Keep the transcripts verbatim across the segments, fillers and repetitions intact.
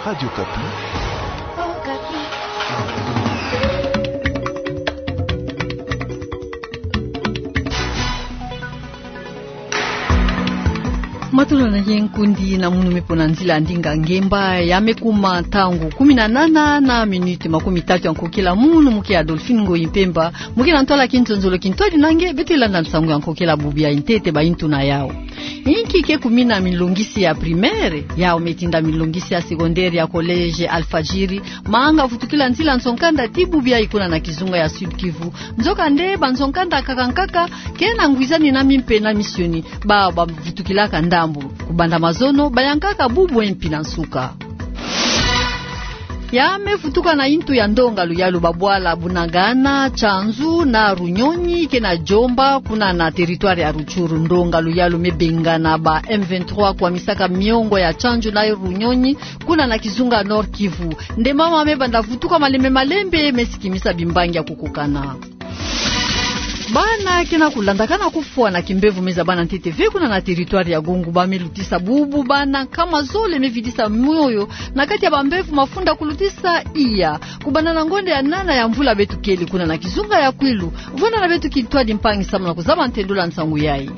Radio Okapi. Matulana ye nkundi na munu me pona nzila ndinga ngemba ya me kuma ntangu kumi na nana na minute makumi tatu ya nkokila, munu muke Adolphine Ngoyi Mpemba, muke na ntwala kinzonzolo kintwadi na nge, beto landa nsangu ya nkokila bubu ya ntete ba intu na yau. Inki ke kumina minlongisi ya primaire, yau me tinda minlongisi ya secondaire ya collège Alfajiri, manga vutukila nzila nzo-nkanda ti bubu yayi kuna na kizunga ya Sud-Kivu. Nzokande banzo-nkanda nkaka nkaka, ke na ngwizani na mimpe na misioni, ba, ba vutukilaka ndambu. Kubanda mazono, bayankaka bubu mpe na nsuka. Ya me vutuka na intu ya ndonga luyalu, babwala Bunagana, Tchanzu na Runyonyi, ke na Djomba, kuna na territoire ya Rutshuru. Ndonga luyalu me bengana ba M vingt-trois kwamisaka miongo ya Tchanzu na Runyonyi, kuna na kizunga Nord-Kivu. Nde mama me banda vutuka malembe malembe, me sikimisa bimbangi ya kukukana. Bana ke na kulandakana kufwa na kimbevo me zabana ntete ve kuna na territoire ya Gongo. Ba me lutisa bubu bana nkama zole me vidisa moyo na kati ya bambevo mafunda kulutisa iya. Kubanda na ngonde ya nana ya mvula beto kele kuna na kizunga ya Kwilu. Vwanda na beto kintwadi mpangi samu na kuzaba ntendula nsangu yayi.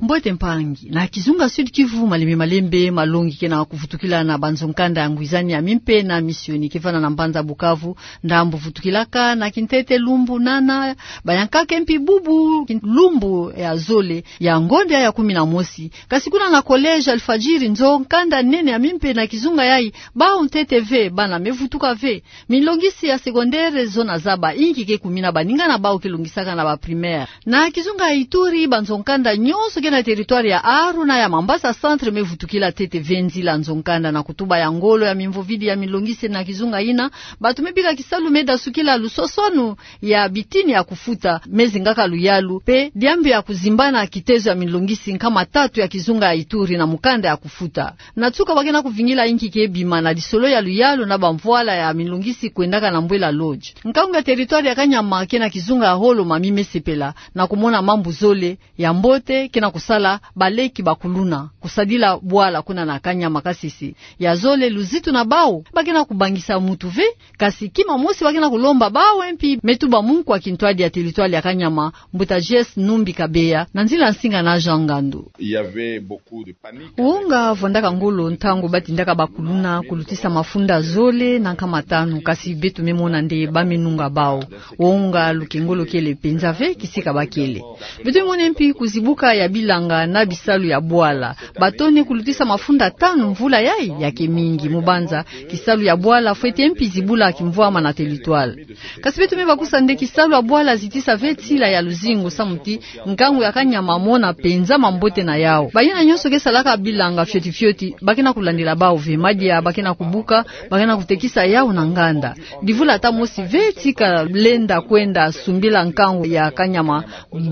Mbote mpangi. Na kizunga Sud-Kivu, malembe malembe malongi ke na kuvutukila na banzo-nkanda ya ngwizani ya mimpe na misioni. Ke vwanda na mbanza Bukavu, ndambu vutukilaka na kintete lumbu nana, bayankaka mpe bubu lumbu ya zole ya ngonde ya kumi na mosi. Kasi kuna na collège Alfajiri, nzo-nkanda nene ya mimpe na kizunga yayi, bau ntete ve, bana me vutuka ve. Minlongisi ya secondaire, zo na zaba inki ke kumina baninga na bau ke longisaka na ba primaire. Na kizunga ya Ituri, banzo-nkanda nyonso ke na territoire ya Aru na ya Mambasa Centre me vutukila ntete ve nzila nzo-nkanda na kutuba ya ngolo ya mimvovidi ya minlongisi na kizunga yina. Bantu me bika kisalu me dasukila lusosonu ya bitini ya kufuta, me zingaka luyalu, mpe diambu ya kuzimbana kitezo ya minlongisi nkama tatu ya kizunga ya Ituri na mukanda ya kufuta. Na nsuka ba ke na kuvingila inki ke bima na lisolo ya luyalu na bamvwala ya minlongisi kwendaka na Mbwela Lodge. Nkangu ya territoire ya Kanyama ke na kizunga ya Holoma mi me sepela na kumona mambu zole ya mbote ke na kusala baleki bakuluna kusadila bwala kuna na Kanyama Kasese. Ya zole luzitu na bau, ba ke na kubangisa mutu ve, kasi kima mosi ba ke na kulomba bau mpe me tuba munkwa kintwadi ya territoire ya Kanyama, Mbuta J S Numbi Kabeya, na nzila nsinga na Jean Ngandu. Il y avait beaucoup de panique. Wonga vwandaka ngolo ntangu ba tindaka bakuluna kulutisa mafunda zole na nkama tanu, kasi beto me mona nde ba me nunga bau. Wonga lukengolo kele mpenza ve kisika ba kele. Beto me mona mpe kuzibuka ya bilanga na bisalu ya bwala. Ba tone kulutisa mafunda tanu mvula yayi, ya ke mingi. Mu banza, kisalu ya bwala fwete mpe zibula kimvwama na territoire. Kasi beto me bakusa nde kisalu ya bwala zitisa ve nsila ya luzingu samu ti nkangu ya Kanyama mona mpenza mambote na yau. Bayina nyonso ke salaka bilanga fioti fioti, ba ke na kulandila bau ve. Madia ba ke na kubuka, ba ke na kutekisa yau na nganda. Divula ata mosi ve tika lenda kwenda sumbila nkangu ya Kanyama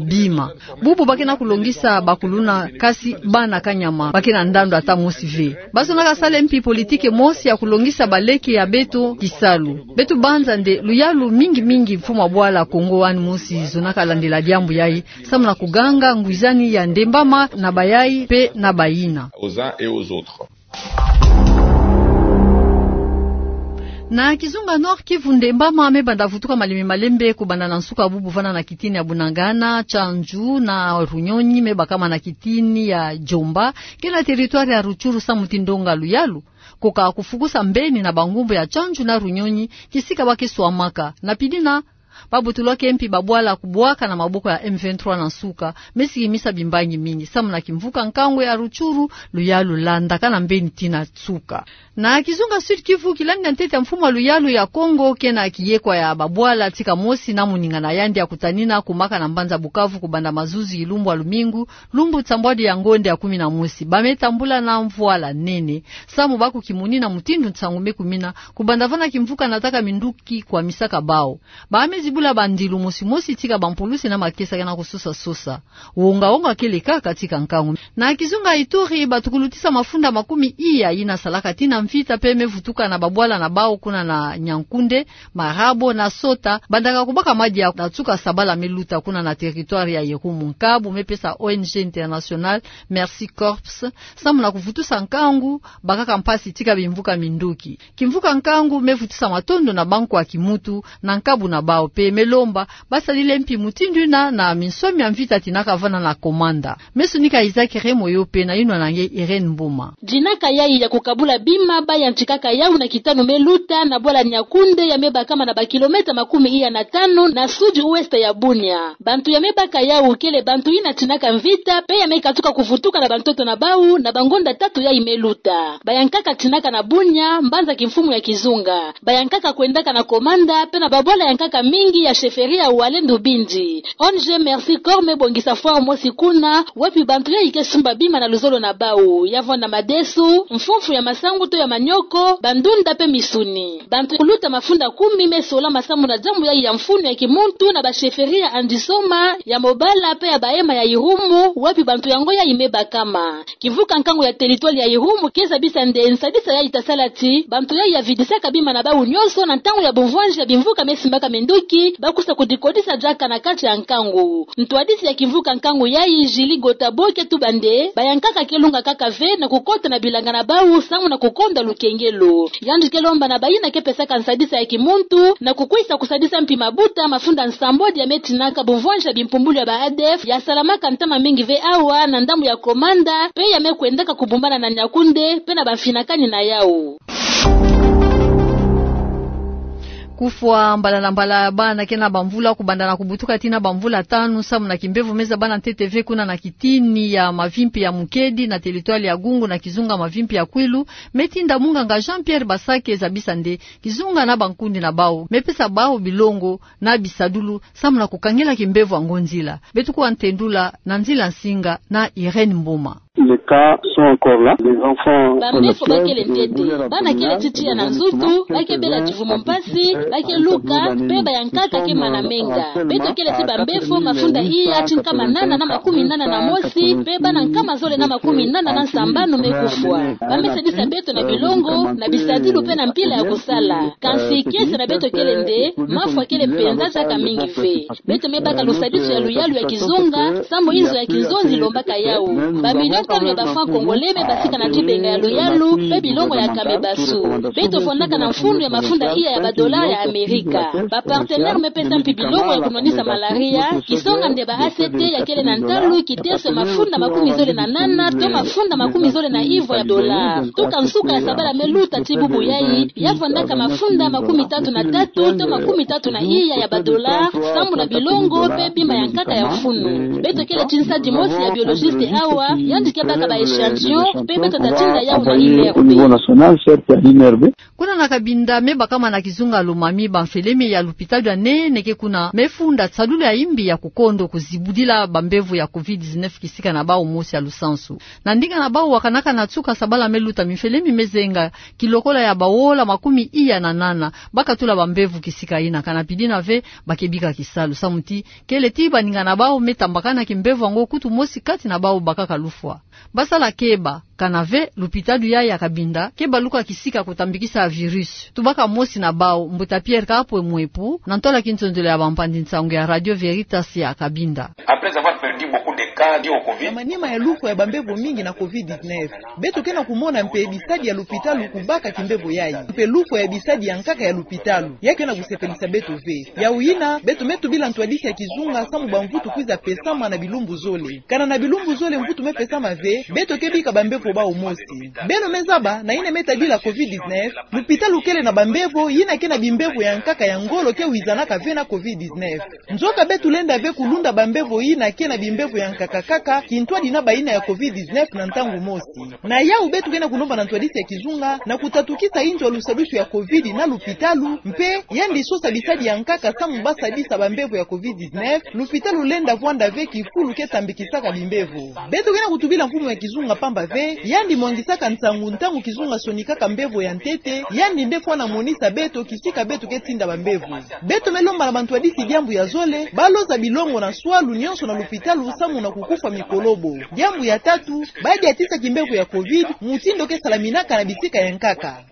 bima. Bubu ba ke na kulongisa bakuluna, kasi bana Kanyama ba ke na ndandu ata mosi ve. Ba zonaka sala mpe politique mosi ya kulongisa baleke ya beto kisalu. Beto banza nde luyalu mingi mingi mfumu ya bwala Kongo wani mosi zonaka landila diambu yayi, samu na kuganga ngwizani ya ndembama na bayayi mpe na bayina. Aux uns et aux autres. Na kizunga Nord-Kivu, ndembama me banda vutuka malembe malembe kubanda na nsuka bubu vana na kitini ya Bunagana, Tchanzu na Runyonyi, me bakama na kitini ya Djomba, ke na territoire ya Rutshuru, samu ti ndonga luyalu koka kufukusa mbeni na bangumbu ya Tchanzu na Runyonyi, kisika ba ke swamaka. Na pidina, ba butulwake mpe babwala kubwaka na maboko ya M vingt-trois na nsuka, me sikimisa bimbangi mingi. Samu na kimvuka nkangu ya Rutshuru, luyalu landakana mbeni tii na nsuka. Na kizunga Sud-Kivu, kilandi ya ntete ya mfumu ya luyalu ya Kongo ke na kiyekwa ya babwala tika mosi na moninga na yandi ya kutanina kumaka na mbanza Bukavu kubanda mazuzi ilumbu ya lumingu, lumbu nsambwadi ya ngonde ya kumi na mosi. Ba me tambula na mvwala nene, samu ba kukimoni na mutindu nsangu me kumina, kubanda vana kimvuka nataka minduki kwamisaka bau. Ba me zibula bandilu mosi mosi tika bampulusi na makesa ke na kusosa sosa. Wonga wonga kele kaka tika nkangu. Na kizunga Ituri, bato kulutisa mafunda makumi iya yina salaka tina mvita pe me vutuka na babwala na bawu kuna na Nyankunde, Marabo na Sota, bandaka kubaka madia na tsuka sabala me luta kuna na territoire ya Irumu. Nkabu me pesa O N G internationale Mercy Corps samu na kuvutusa nkangu, bakaka mpasi tika bimvuka minduki. Kimvuka nkangu me vutusa matondo na bankwa kimutu na nkabu na bawu pe me lomba basadila mpi mutindu yina na minsoni mia mvita tina kavana na komanda. Me sonika Isaac Remoyo pe na yinwa na nge Irène Mboma. Dinaka yayi ya kukabula bima bayantikaka yawu na kitanu me luta na bwala Nyakunde ya me bakama na ba kilomètre makumi iya na tanu na sud-ouest ya Bunia. Bantu ya me baka yawu kele bantu yina tinaka mvita pe ya me katuka kuvutuka na bantoto na bawu na bangonda tatu yayi me luta. Bayankaka tinaka na Bunia, mbanza kimfumu ya kizunga. Bayankaka kwendaka na komanda pe na babwala yankaka mingi ya chefferie ya Walendu Bindi. O N G Mercy Corps me bongisa foire mosi kuna, wapi bantu yayi ke sumba bima na luzolo na bawu, ya vonda madesu, mfumfu ya masangu to ya manioko, bandunda pe misuni. Bantu kuluta mafunda kumi me sola masamu na diambu yayi ya mfunu ya kimuntu na ba chefferie ya Andisoma, ya Mobala pe ya Bahema ya Irumu, wapi bantu yango yayi me bakama. Kimvuka nkangu ya territoire ya Irumu ke zabisa nde nsadisa yayi ta sala ti bantu yayi ya vidisaka bima na bawu nyonso na ntangu ya bumvwanji ya bimvuka me simbaka minduki, bakwiza kudikodisa diaka na kati ya nkangu. Ntwadisi ya kimvuka nkangu yayi, Julie Gotabo, ke tuba nde bayankaka ke lunga kaka ve na kukota na bilanga na bawu samu na kukonda lukengelo. Yandi ke lomba na bayina ke pesaka nsadisa ya kimuntu na kukwisa kusadisa mpi mabuta mafunda nsambwadi ya me tinaka bumvwanji ya bimpumbulu ya ba A D F ya salamaka ntama mingi ve awa na ndambu ya komanda pe ya me kwendaka kubumbana na Nyakunde pe na bamfinakani na yawu. Kufwa mbala na mbala ya bana ke na bamvula kubanda na kubutuka tina bamvula tanu samu na kimbevo me zabana ntete ve kuna na kitini ya mavimpi ya Mukedi na territoire ya Gungu na kizunga mavimpi ya Kwilu, me tinda munganga Jean-Pierre Basake zabisa nde kizunga na bankundi na bawu me pesa bawu bilongo na bisadulu samu na kukangila kimbevo yango nzila. Beto kuwa ntendula na nzila nsinga na Irène Mboma. Les cas sont encore là. Les enfants, bambefo bakele ntete. Bana kele ti tiya na nzutu, ba ke bela kivumu mpasi, ba ke luka, pe bayankaka ke mana menga. Beto kele ti bambefo mafunda iya ti nkama nana na makumi nana na mosi, pe bana nkama zole na makumi nana na nsambanu me kufwa. Ba me sadisa beto na bilongo, na bisadulu pe na mpila ya kusala. Kansi kiese na beto kele nde, mafwa kele mpenza diaka mingi ve. Beto me baka lusadisu ya luyalu ya kizunga, samu inzo ya kinzonzi lombaka yawu. Ba million tanu ya ba francs congolais me basika na dibenga ya luyalu, pe bilongo ya kame basu. Beto fondaka na mfunu ya mafunda iya ya ba dollars ya Amerika. Ba partenaires me pesa mpi bilongo ya kunwanisa malaria, kisonga nde ba A C T ya kele na ntalu kiteso ya mafunda makumi zole na nana, to mafunda makumi zole na ivwa ya dollars. Tuka nsuka ya sabala me luta ti bubu yayi, ya fondaka mafunda makumi tatu na tatu, to makumi tatu na iya ya ba dollars, samu na bilongo, pe bima ya nkaka ya mfunu. Beto kele ti nsadi mosi ya biologiste awa, yandi ke baka ba échantillon, pe beto ta tinda yawu na I N R B. Kuna na Kabinda me bakama na kizunga Lomami, bamfelemi ya lupitalu ya nene ke kuna me funda tisadulu ya imbi ya kukondo kuzibudila bambevo ya covid dix-neuf kisika na bawu mosi ya lusansu. Na ndinga na bawu wakanaka na nsuka sabala me luta, mimfelemi me zenga kilokola ya baola makumi iya na nana bakatula bambevo kisika yina. Kana pidina ve ba ke bika kisalu samu ti kele ti baninga na bawu me tambakana kimbevo yango, kutu mosi kati na bawu bakaka lufwa. Basala keba, kana ve lupitalu yayi ya Kabinda ke baluka kisika kutambikisa virus. Tubaka mosi na bawu, Mbuta Pierre Kapwe Mwepu, na ntola kinzonzolo ya bampanzi nsangu ya Radio Veritas ya Kabinda. Après avoir perdu beaucoup de cas dus au covid. Na manima ya lufwa ya bambevo mingi na covid dix-neuf, beto ke na kumona mpe bisadi ya lupitalu kubaka kimbevo yayi, mpe lufwa ya bisadi ya nkaka ya lupitalu, ya ke na kusepelisa beto ve. Yawu yina, beto me tubila ntwadisi ya kizunga samu bamvutu kwiza pesama na bilumbu zole. Kana na bilumbu zole mvutu me pesama ve, beto ke bika bambevo bawu mosi. Beno me zaba, na yina me tadila covid dix-neuf, lupitalu kele na bambevo yina ke na bimbevo ya nkaka ya ngolo ke wizanaka ve na covid dix-neuf. Nzoka beto lenda ve kulunda bambevo yina ke na bimbevo ya nkaka kaka, kintwadi na bayina ya covid dix-neuf na ntangu mosi. Na yawu beto ke na kulomba na ntwadisi ya kizunga na kutatukisa inzo ya lusadisu ya covid na lupitalu, mpe yandi sosa bisadi ya nkaka samu basadisa bambevo ya covid dix-neuf, lupitalu lenda vwanda ve kifulu ke tambikisaka bimbevo. Beto ke na kutubila mfumu ya kizunga pamba ve, Yandi mwangisaka nsangu ntangu kizunga sonikaka mbevo ya ntete, yandi nde fwana monisa beto kisika beto ke tinda bambevo. Beto me lomba na bantwadisi diambu ya zole, baloza bilongo na swalu nionso na lupitalu samu na kukufwa mikolobo. Diambu ya tatu, badiatisa kimbevo ya covid, mutindu ke salaminaka na bisika ya nkaka.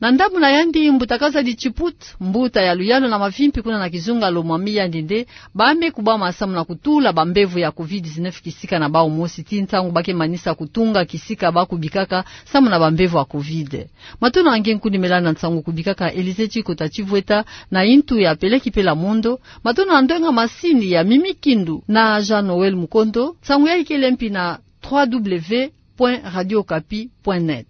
Na ndambu na yandi, mbuta Kazadi Chiput, mbuta ya luyalu na mavimpi kuna na kizunga Lomami, yandi nde ba me kubama samu na kutula bambevo ya covid dix-neuf kisika na bau mosi ti ntangu ba ke manisa kutunga kisika ba kubikaka samu na bambevo ya covid. Matondo na nge nkundi me landa nsangu kubikaka Elise Chikota Chivweta na intu ya Peleki Pela Mondo. Matondo na ndwenga masini ya Mimi Kindu na Jean Noël Mukondo. Nsangu yayi kele mpi na trois W point radio okapi point net.